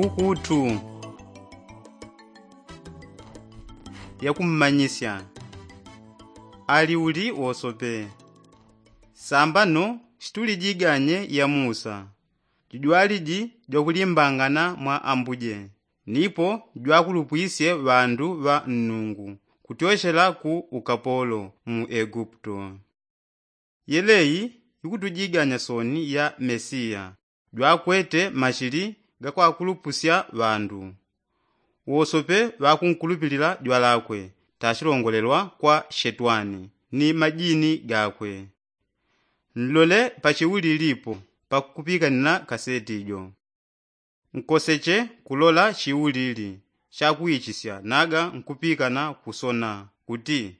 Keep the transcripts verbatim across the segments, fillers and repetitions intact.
Ukutu yakummanyisya ali uli wosope. Sambano situlijiganye ya musa jujwaliji jwakulimbangana mwa ambuje nipo jwakulupwisye ŵandu ŵa nnungu kutyochela ku ukapolo mu eguputo. Yeleyi ikutujiganya soni ya mesiya jwakwete mashili gakwakulupusya ŵandu. Wosope ŵakunkulupilila jwalakwe tachilongolelwa kwa shetwani ni majini gakwe. Nlole pachiulilipo pakupikanila kaseti jo. Nkoseche kulola chiulili chakuichisya naga nkupikana kusona kuti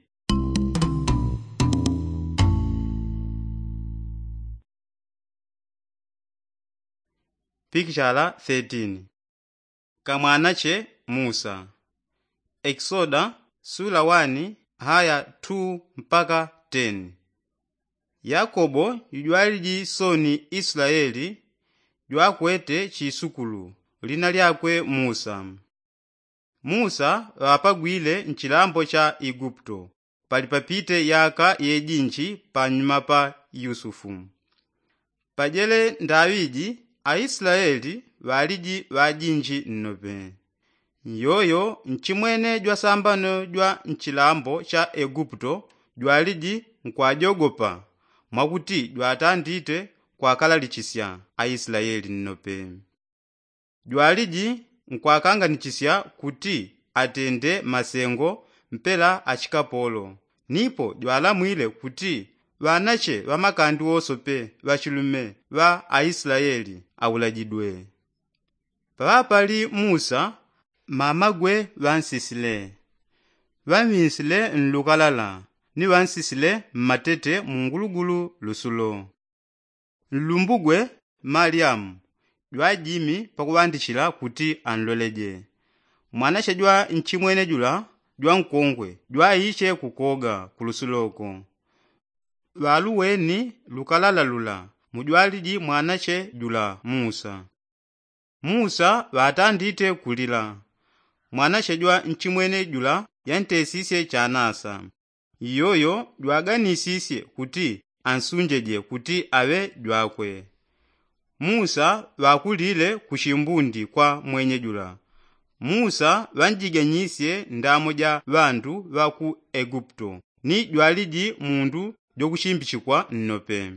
pikichala thirteen. Kamwanache musa. Ekisoda sula wani haya two mpaka ten. Yakobo jujwaliji soni islaeli jwakwete chisukulu lina lyakwe musa. Musa ŵapagwile nchilambo cha iguputo pali papite yaka yejinji panyuma pa yusufu. Pajele ndaŵiji aislaeli ŵaliji ŵajinji nnope. Nyoyo nchimwene jwasambano jwa nchilambo cha eguputo jwaliji nkwajogopa mwakuti jwatandite kwakalalichisya aislaeli nnope. Jwaliji nkwakanganichisya kuti atende masengo mpela achikapolo. Nipo jwalamwile kuti ŵanache ŵamakandi wosope ŵachilume ŵa aislaeli aulajidwe. Paŵapali musa mamagwe ŵansisile ŵaŵinsile nlukalala ni ŵansisile mmatete mungulugulu lusulo. Nlumbugwe malyamu jwajimi pakuŵandichila kuti anloleje. Mwanache jwa nchimwene jula jwankongwe jwaiche kukoga kulusuloko. Ŵaluweni lukalala lula mujwaliji mwanache jula musa. Musa ŵatandite kulila. Mwanache jwa nchimwene jula yantesisye chanasa. Iyoyo jwaganisisye kuti ansunjeje kuti aŵe jwakwe. Musa ŵakulile kuchimbundi kwa mwenye jula. Musa ŵanjiganyisye ndamo ja ŵandu ŵa ku eguputo ni jwaliji mundu jokuchimbichikwa nnope.